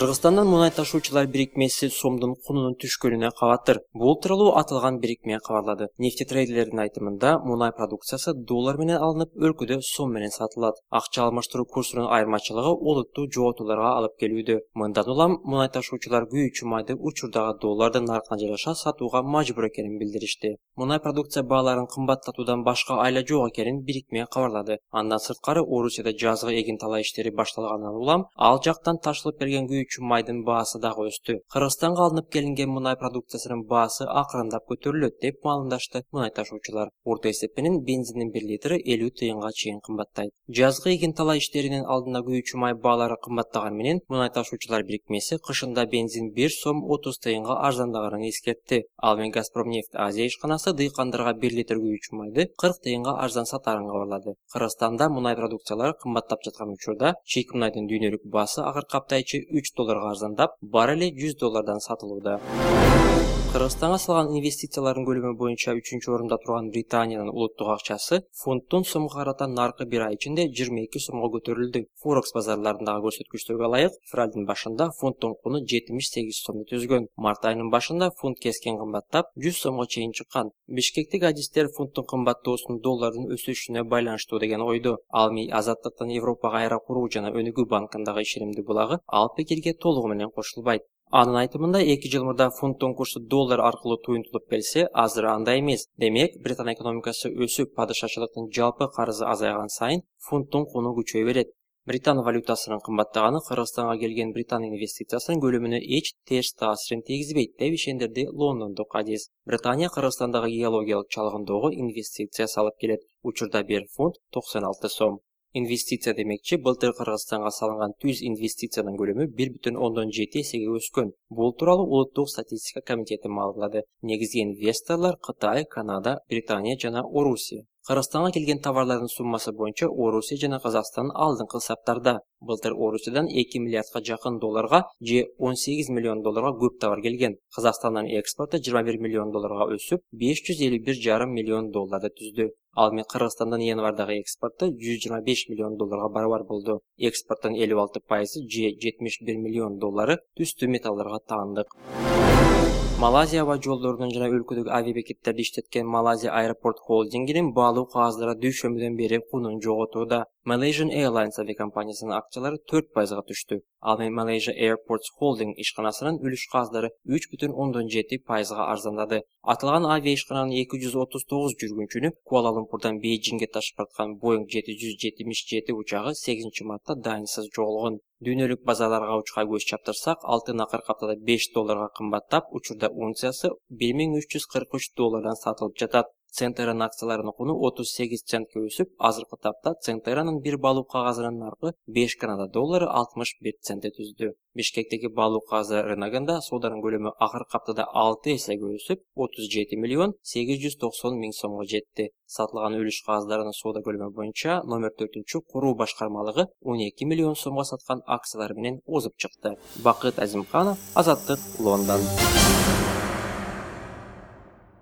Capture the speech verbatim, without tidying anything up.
Кыргызстандан мунай ташуучулар бирикмеси сомдун кунунун түшкөнүнө кабаттыр. Бул тууралуу аталган бирикме кабарлады. Нефтетрейдерлердин айтымында мунай продукциясы доллар менен алынып, өлкөдө сом менен сатылат. Акча алмаштыруу курсунун айырмачылыгы олуттуу жоготууларга алып келүүдө. Мындан улам мунай ташуучулар күйүүчү майды учурдагы доллардын наркына жараша сатууга мажбур экенин билдиришти. Мунай продукция бааларынын кымбаттатуудан башка айла жок экенин бирикме кабарлады. Андан сырткары Орусияда жазгы эгин талаа иштери башталгандан улам ал жактан ташылып келген күйүүчү майдын баасы дагы өстү. Кыргызстанга алынып келинген мунай продукциясынын баасы акырындап көтөрүлөт деп маалымдашты мунай ташуучулар. Орто эсеп менен бензиндин бир литри элүү тыйынга чейин кымбаттайт. Жазгы эгин талаа иштеринин алдында күйүүчү май баалары кымбаттаганы менен мунай ташуучулар бирикмеси кышында бензин бир сом отуз тыйынга арзандаганын эскертти. Ал менен Газпромнефть Азия ишканасы дыйкандарга бир литр күйүүчү майды кырк тыйынга арзан сатарын кабарлады. Кыргызстанда мунай продукциялары кымбаттап жаткан учурда чийки мунайдын дүйнөлүк баасы акыркы апта ичи үч долларга арзандап, баррели жүз доллардан сатылууда. Кыргызстанга салган инвестициялардын көлөмү боюнча үчүнчү орунда турган Британиянын улуттук акчасы фунттун сомго карата наркы бир ай ичинде жыйырма эки сомго көтөрүлдү. Форекс базарларындагы көрсөткүчтөргө ылайык, февралдын башында фунттун куну жетимиш сегиз сомду түзгөн. Март айынын башында фунт keskin кымбаттап, жүз сомго чейин чыккан. Бишкектик адистер фунттун кымбаттоосун доллардын өсүшүнө байланыштуу деген ойдо. Ал эми Азаттыктын Европага айра куруу жана өнүгүү банкындагы ишенимдүү булагы ал пикирге толугу менен кошулбайт. Анын айтымында эки жыл мурда фунттун курсу доллар аркылуу туюнтулуп келсе, азыр андай эмес. Демек, Британ экономикасы өсүп, падышачылыктын жалпы карызы азайган сайын фунттун куну күчөй берет. Британ валютасынын кымбаттаганы Кыргызстанга келген Британ инвестициясынын көлөмүнө эч терс таасирин тийгизбейт деп ишендирди лондондук адис. Британия Кыргызстандагы геологиялык чалгындоого инвестиция салып келет. Учурда бир фунт токсон алты сом. Инвестиция демекчи, былтыр Кыргызстанга салынган түз инвестициянын көлөмү бир бүтүн ондон жети эсеге өскөн. Бул тууралуу Улуттук статистика комитети маалымдады. Негизги инвесторлор Кытай, Канада, Британия жана Орусия. Кыргызстанга келген товарлардын суммасы боюнча Орусия жана Казакстан алдыңкы саптарда. Былтыр Орусиядан эки миллиардга жакын долларга же он сегиз миллион долларга көп товар келген. Казакстандын экспорту жыйырма бир миллион долларга өсүп, беш жүз элүү бир жарым миллион долларды түздү. Ал эми Кыргызстандан январдагы экспорту жүз жыйырма беш миллион долларга барабар болду. Экспорттун элүү алты пайызы же жетимиш бир миллион доллары түстүү металлдарга таандык. Малайзия аба жолдорунун жана өлкөдөгү авиабекеттерди иштеткен Malaysia Airport Holding'инин баалуу кагаздары дүйшөмбүдөн бери кунун жоготууда. Malaysian Airlines авиакомпаниясынын акчалары төрт пайызга түштү. Ал эми Malaysia Airports Holding ишканасынын үлүш кагаздары үч бүтүн ондон жети пайызга арзандады. Аталган авиа ишкананын эки жүз отуз тогуз жүргүнчүнү Куала-Лумпурдан Бейжиңге ташып бараткан Boeing жети жүз жетимиш жети учагы сегизинчи мартта дайынсыз жоголгон. Дүйнөлүк базарларга учка көз чаптырсак, алтын акыркы аптада беш долларга кымбаттап, учурда унциясы бир миң үч жүз кырк үч доллардан сатылып жатат. Центеранын акцияларынын куну отуз сегиз центке өсүп, азыркы тапта Центеранын бир баалуу кагазынын наркы беш Канада доллары алтымыш бир центти түздү. Бишкектеги баалуу кагазы рыногунда сооданын көлөмү акыркы аптада алты эсеге өсүп, отуз жети миллион сегиз жүз токсон миң сомго жетти. Сатылган үлүш кагаздарынын соода көлөмү боюнча номер төртүнчү куруу башкармалыгы он эки миллион сомго саткан акциялар менен озуп чыкты. Бакыт Азимканов, Азаттык, Лондон.